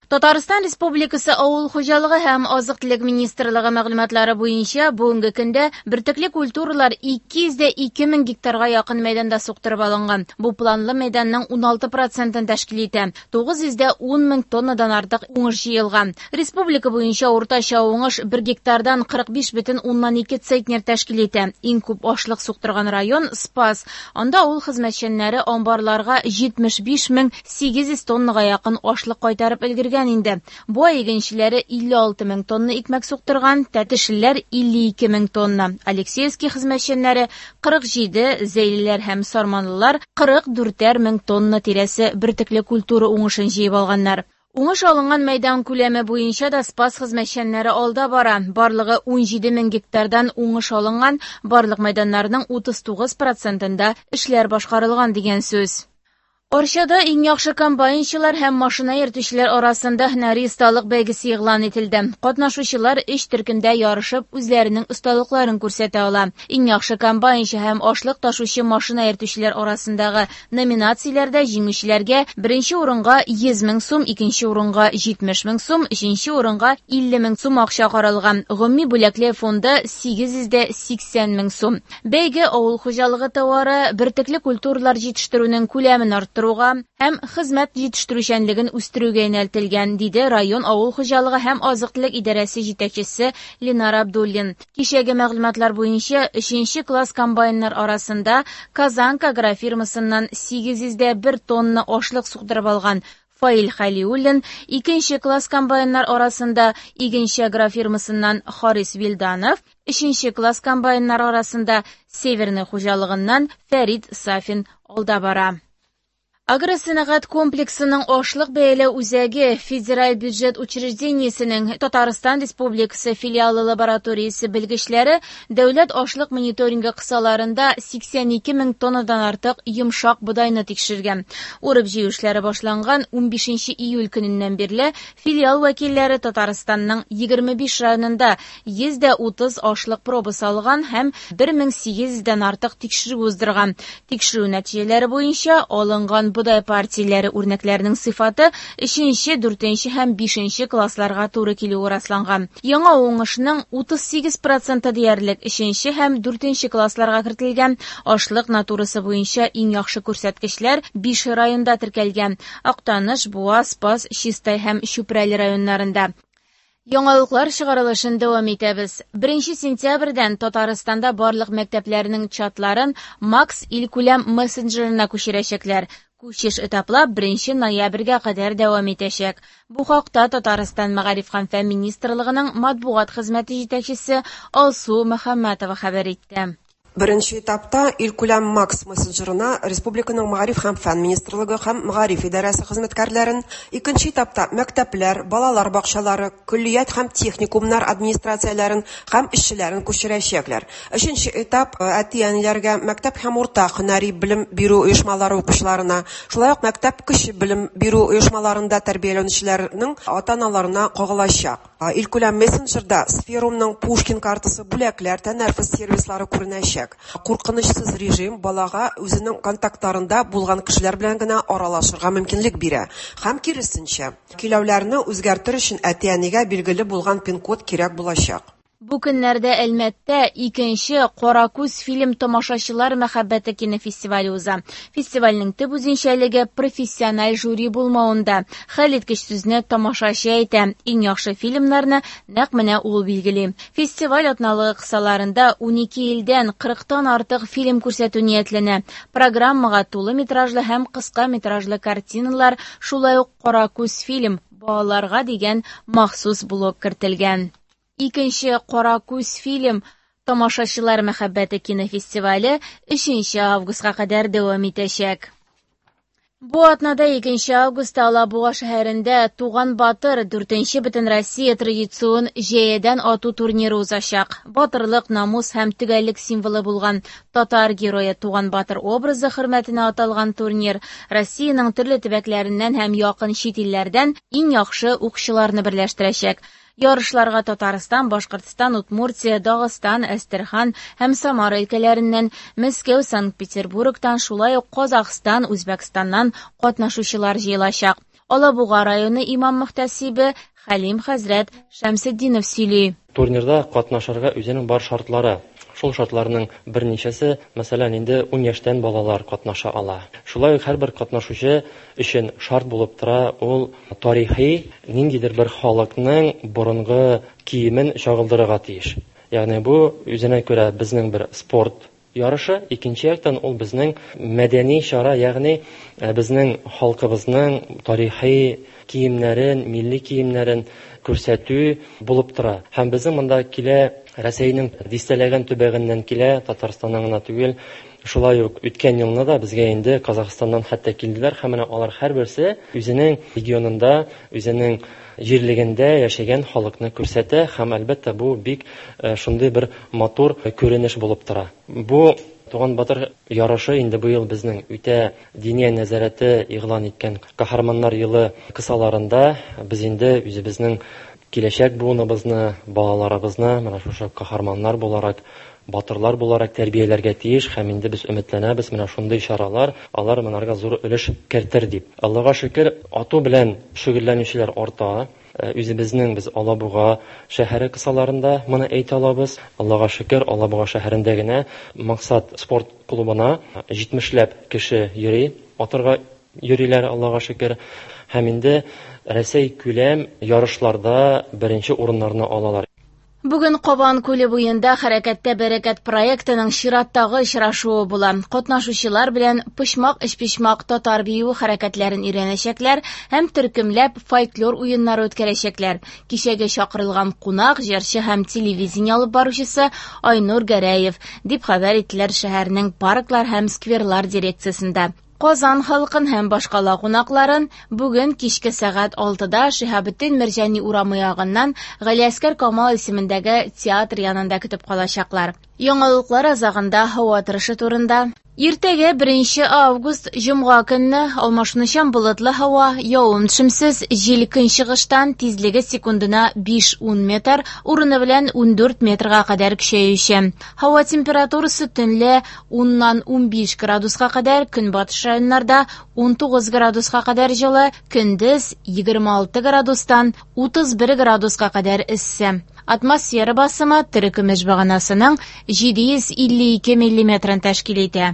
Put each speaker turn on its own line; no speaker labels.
Татарстан Республикасы Авыл хуҗалыгы һәм азык-төлек министрлыгы мәгълүматлары буенча, бүгенге көндә бөртекле культуралар 202 мең гектарга якын мәйданда суктырып алынган. Бу планлы мәйданның 16 процентын тәшкил итә. 910 мең тоннадан артык уңыш җыелган. Республика буенча уртача уңыш бер гектардан 45,2 центнер тәшкил итә. Иң күп ашлык суктырган район Спас. Анда авыл хезмәтчәннәре амбарларга 75 мең 800 тоннага якын ашлык кайтарып өлгергән инде. Буа игенчеләре 56 мең тонна икмәк суктырган, тәтешлеләр 52 мең тонна. Алексеевский хезмәтчәннәре 47, зәйлеләр һәм сарманлылар 44 мең тонна тирәсе бөртекле культура уңышын җыеп алганнар. Уңыш алынган мәйдан күләме буенча да Спас хезмәтчәннәре алда бара. Барлыгы 17 мең гектардан уңыш алынган, барлык мәйданнарның 39 процентында эшләр башкарылган дигән сүз. Арчада иң яхшы комбайнчылар һәм машина йөртүчеләр арасында һөнәри осталык бәйгесе игълан ителде. Катнашучылар өч төркемдә ярышып үзләренең осталыкларын күрсәтә ала. Иң яхшы комбайнчы һәм ашлык ташучы машина йөртүчеләр арасындагы номинацияләрдә җиңүчеләргә беренче урынга 100 мең сум, икенче урынга 70 мең сум, өченче урынга 50 мең сум акча каралган. Гомуми бүләкләр фонды 880 мең сум. Бәйге авыл хуҗалыгы товары, бөртекле культуралар җитештерүнең күләмен арттыруга һәм хезмәт җитештерүчәнлеген үстерүгә юнәлтелгән, диде район авыл хуҗалыгы һәм азык-төлек идарәсе җитәкчесе Ленар Абдуллин. Кичәге мәгълүматлар буенча 3нче класс комбайннар арасында Казанка агрофирмасыннан 801 тонна ашлык суктырып алган Фаил Халиуллин, икенче класс комбайннар арасында Игенче агрофирмасыннан Харис Вилданов, өченче класс комбайннар арасында Северный хуҗалыгыннан Фәрид Сафин алда бара. Агросәнәгать комплексының ашлык бәяләү үзәге федераль бюджет учреждениесенең Татарстан Республикасы филиалы лабораториясе белгечләре дәүләт ашлык мониторингы кысаларында 82 мең тоннадан артык йомшак бодайны тикшергән. Урып җыю эшләре башланган 15 июль көненнән бирле филиал вәкилләре Татарстанның 25 районында 130 ашлык пробасы алган һәм 1800дән артык тикшерү уздырган. Тикшерү нәтиҗәләре буенча алынган бодай партияләре үрнәкләренең сыйфаты 3нче, 4нче һәм 5нче классларга туры килүе расланган. Яңа уңышның 38% диярлек 3нче һәм 4нче классларга кертелгән. Ашлык натурасы буенча иң яхшы күрсәткечләр 5 районда теркәлгән: Актаныш, Буа, Спас, Чистай һәм Чүпрәле районнарында. Яңалыклар чыгарылышын дәвам итәбез. 1 сентябрьдән Татарстанда барлык мәктәпләрнең чатларын Макс илкүләм мессенджерына күчерәчәкләр. Күчеш этаплап 1 ноябрьгә кадәр дәвам итәчәк. Бу хакта Татарстан Мәгариф һәм фән министрлыгының матбугат хезмәте җитәкчесе Алсу Мөхәммәтова хәбәр итте.
Беренче этапта илкүләм Макс мессенджерына республиканың Мәгариф һәм фән министрлыгы һәм Мәгариф идарәсе хезмәткәрләрен, икенче этапта мәктәпләр, балалар бакчалары, көллият һәм техникумнар администрацияләрен һәм эшчеләрен күчерәчәкләр. Өченче этап әти-әниләргә, мәктәп һәм урта һөнәри белем бирү оешмалары укучыларына, шулай ук мәктәп кече белем бирү оешмаларында тәрбияләнүчеләрнең ата-аналарына кагылачак. Илкүләм мессенджерда Сферумның Пушкин картасы, бүләкләр, тәнәфес сервислары күренәчәк. Куркынычсыз режим балага үзенең контактларында булган кешеләр белән генә аралашырга мөмкинлек бирә. Һәм киресенчә, көйләүләрне үзгәртер өчен әти-әнигә билгеле булган пин-код кирәк булачак.
Бу көннәрдә Әлмәттә икенче Каракүз фильм тамашачылар мәхәббәте кинофестивале уза. Фестивальнең төп үзенчәлеге профессиональ жюри булмавында. Хәлиткеч сүзне тамашачы әйтә. Иң яхшы фильмнарны нәкъ менә ул билгели. Фестиваль атналыгы кысаларында 12 илдән 40тан артык фильм күрсәтү ниятләнә. Программага тулы метражлы һәм кыска метражлы картиналар, шулай ук Каракүз фильм балаларга дигән махсус блок кертелгән. Икенче Каракүз фильм тамашачылар мәхәббәте кинофестивале 3 августка кадәр дәвам итәчәк. Бу атнада 2 августта Алабуга шәһәрендә Туган Батыр 4нче Бөтенроссия традицион җәядән ату турниры узачак. Батырлык, намус һәм төгәллек символы булган татар герое Туган Батыр образы хөрмәтенә аталган турнир Россиянең төрле төбәкләреннән һәм якын чит илләрдән иң яхшы укчыларны берләштерәчәк. Ярышларга Татарстан, Башкортстан, Удмуртия, Дагыстан, Әстерхан һәм Самара өлкәләреннән, Мәскәү, Санкт-Петербургтан, шулай ук Казахстан, Үзбәкстаннан катнашучылар җыелачак. Алабуга районы имам-мөхтәсибе Хәлим хәзрәт Шәмсетдинов сөйли.
Турнирда катнашырга үзенең бар шартлары. Шул шартларның берничәсе, мәсәлән, инде 10 яшьтән балалар катнаша ала. Шулай ук һәрбер катнашучы өчен шарт булып тора ул тарихи ниндидер бер халыкның борынгы киемен чагылдырырга тиеш. Ягъни бу үзенә күрә безнең бер спорт ярышы, икенче яктан ул безнең мәдәни чара, ягъни безнең халкыбызның тарихи киемнәрен, милли киемнәрен күрсәтү булып тора. Һәм безнең монда килә Рәсәйнең дистәләгән төбәгеннән килә, Татарстаннан гына түгел. Шулай ук үткән елны да безгә инде Казахстаннан хәтта килделәр һәм менә алар һәрберсе үзенең регионында, үзенең җирлегендә яшәгән халыкны күрсәтә һәм әлбәттә бу бик шундый бер матур күренеш булып тора. Бу Туган Батыр ярышы инде быел безнең үтә Диния нәзарәте игълан иткән Каһарманнар елы кысаларында без инде үзебезнең киләчәк буыныбызны, балаларыбызны менә шушы каһарманнар буларак, батырлар буларак тәрбияләргә тиеш һәм инде без өметләнәбез, менә шундый чаралар алар монарга зур өлеш кертер дип. Аллага шөкер, ату белән шөгыльләнүчеләр арта. Үзебезнең без Алабуга шәһәре кысаларында моны әйтә алабыз. Аллага шөкер, Алабуга шәһәрендә генә Максат спорт клубына 70ләп кеше йөри, атырга йөриләр, Аллага шөкер. Һәм инде Рәсәй күләм ярышларда беренче урыннарны алалар.
Бүген Кабан күле буенда Хәрәкәттә бәрәкәт проектының чираттагы очрашуы була. Катнашучылар белән почмак-өчпочмак татар биюе хәрәкәтләрен өйрәнәчәкләр һәм төркемләп фольклор уеннары үткәрәчәкләр. Кичәгә чакырылган кунак, җырчы һәм телевидение алып баручысы Айнур Гәрәев, дип хәбәр иттеләр шәһәрнең парклар һәм скверлар дирекциясендә. Казан халкын һәм башкала кунакларын бүген кичке сәгать 6-да Шиһабетдин Мәрҗани урамы ягыннан Галиәсгар Камал исемендәге театр янында көтеп калачаклар. Яңалыклар азагында һава торышы турында. Иртәгә 1 август җомга көнне алмашынучан болытлы һава, явым-төшемсез, җил көнчыгыштан, тизлеге секундына 5-10 метр, урыны белән 14 метрга кадәр көчәюче. Һава температурасы төнлә 10-нан 15 градуска кадәр, көнбатыш районнарда 19 градуска кадәр җылы, көндез 26 градустан 31 градуска кадәр эссе. Атмосфера басымы терекөмеш баганасының 752 миллиметрын тәшкил итә.